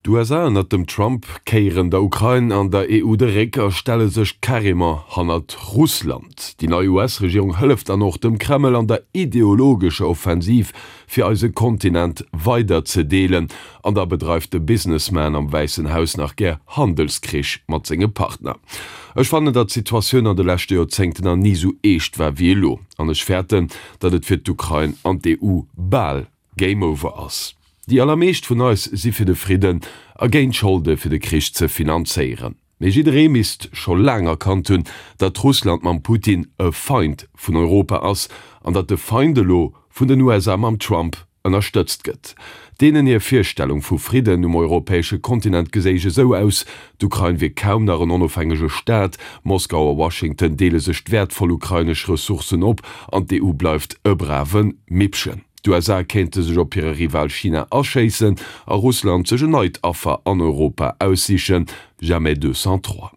D'USA ënnert dem Trump kéieren der Ukrain an der EU de Réck a stelle sech carrément hannert Russland. Déi nei US-Regierung hëlleft dann och dem Kreml an der ideologescher Offensiv fir eise Kontinent weider ze deelen. An da bedreift de Businessman am Wäissen Haus nach gär Handelskrich mat senge Partner. Ech fannen, datt d'Situatioun an de leschte Joerzéngten nach ni sou eescht war wéi elo. An ech fäerten, datt et fir d'Ukrain an d'EU bal Game over ass. Déi allermeescht vun eis si fir de Fridden a géint Scholde fir de Krich ze finanzéieren. Mee jidderee misst scho laang erkannt hunn, datt Russland mam Putin e Feind vun Europa ass an datt de Feind elo vun den USA mam Trump ënnerstëtzt gëtt. Deenen hir Virstellung vu Fridden um europäesche Kontinent geséich esou aus, D'Ukrain wier kaum nach en onofhängege Staat, Moskau a Washington deele sech d'wäertvoll ukrainesch Ressourcen op an d'EU bleift e brave Mippchen. D'USA kéinte sech op hire Rival China aschéissen a Russland sech en neit Affer an Europa aussichen, jamais deux sans trois.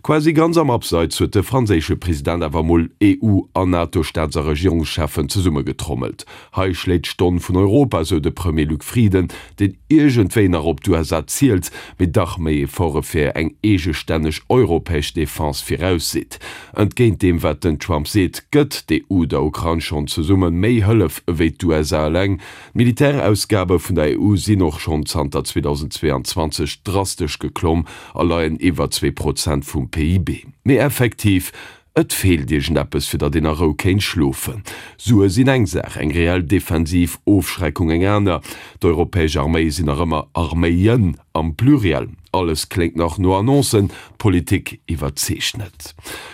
Quasi ganz am Abseits huet de franséische President awer mol EU an NATO-Staats a Regierungscheffen zesummegetrommelt. Hei schléit d'Stonn vun Europa, sou de Premier Luc Frieden, deen iergendwéi nach op d'USA zielt, mee dach méi Efforte fir eng eegestänneg europäesch Defense virausseet. Entgéint deem wat den Trump seet, gëtt d'EU der Ukrain schonn zesumme méi Hëllef ewéi d'USA eleng. D'Militärausgabe vun der EU sinn och schonn zanter 2022 drastesch geklomm a leien iwwer 2 Prozent vum PIB. Mee effektiv, et feelt iergendeppes, fir datt een a Rou kéint schlofen. Sue sinn eng Saach, eng reell defensiv Ofschreckung eng aner. D'europäesch Arméie sinn nach ëmmer Arméien am Pluriel. Alles kléngt nach no Annoncen, d'Politik iwwerzeegt net.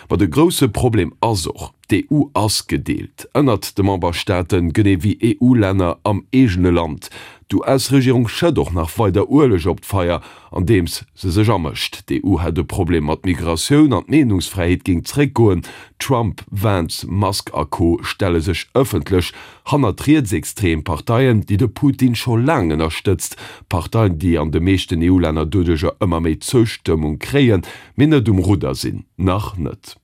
Ma de grousse Problem ass och, D'EU ass gedeelt ënnert de Memberstaaten, genee wéi EU-Länner am eegene Land. D'US-Regierung schëtt och nach weider Ueleg op d'Feier, andeems se sech amëscht. D'EU hätt e Problem mat Migratioun an d'Meenungsfräiheet géing zréckgoen. Trump, Vance, Musk a Co. Stelle sech ëffentlech hannert rietsextrem Parteien, déi de Putin scho laang ënnerstëtzt. Parteien, déi an de meeschten EU-Länner doduercher ëmmer méi Zoustëmmung kréien, mee net um Rudder sinn. Nach net.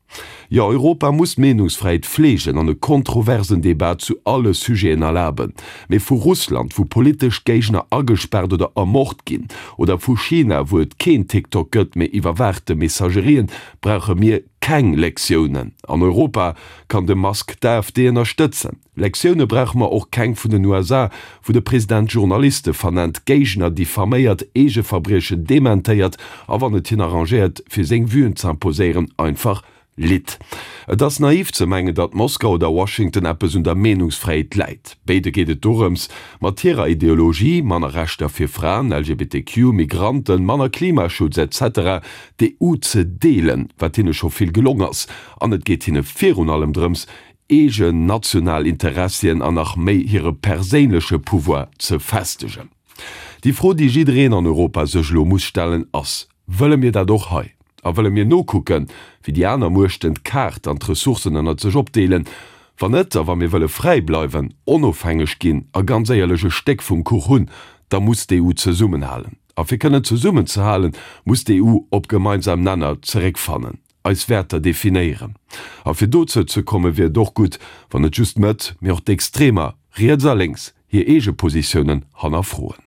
Jo, Europa muss d'Meenungsfräiheet fleegen an e kontroversen Debat zu alle Sujeten erlaben. Mee vu Russland, wou politesch Géigner agespaart oder ermort ginn, oder vu China, wou et keen TikTok gëtt, mee iwwerwaachte Messagerien, brauche mir keng Lektiounen. An Europa kann de Musk d'AfD ënnerstëtzen. Lektioune brauche mer och keng vun den USA, wou de President Journaliste vernennt, Géigner diffaméiert, eege Verbriechen dementéiert a wann et hien arrangéiert fir seng Vuen z'imposéieren, einfach litt. Et ass naiv ze mengen, datt Moskau oder Washington eppes un der Meenungsfräiheet läit. Béide geet et dorëms, mat hirer Ideologie, manner Rechter fir Fraen, LGBTQ, Migranten, manner Klimaschutz, etc. D'EU ze deelen, wat hinne scho vill gelong ass. An et geet hinne virun allem drëms, eegen national Interessien an nach méi hire perséinleche Pouvoir ze festegen. Déi Fro, déi jiddereen an Europa sech elo muss stellen, ass, Wëlle mir dat och hei? A wëlle mir nokucken, wéi déi aner Muechten d'Kaart an d'Ressourcen ënnert sech opdeelen? Wann net, a wa mir wëlle fräi bleiwen, onofhängeg ginn a ganz éierlech e Stéck vum Kuch hunn, da muss d'EU zesummenhalen. A fir kënnen zesummenzehalen, muss d'EU op gemeinsam Nenner zeréckfannen. eis Wäerter definéieren. A fir dozou ze kommen, wier et och gutt, wann net just d'Mëtt, mee och d'Extremer, riets a lénks, hir eege Positiounen hannerfroen.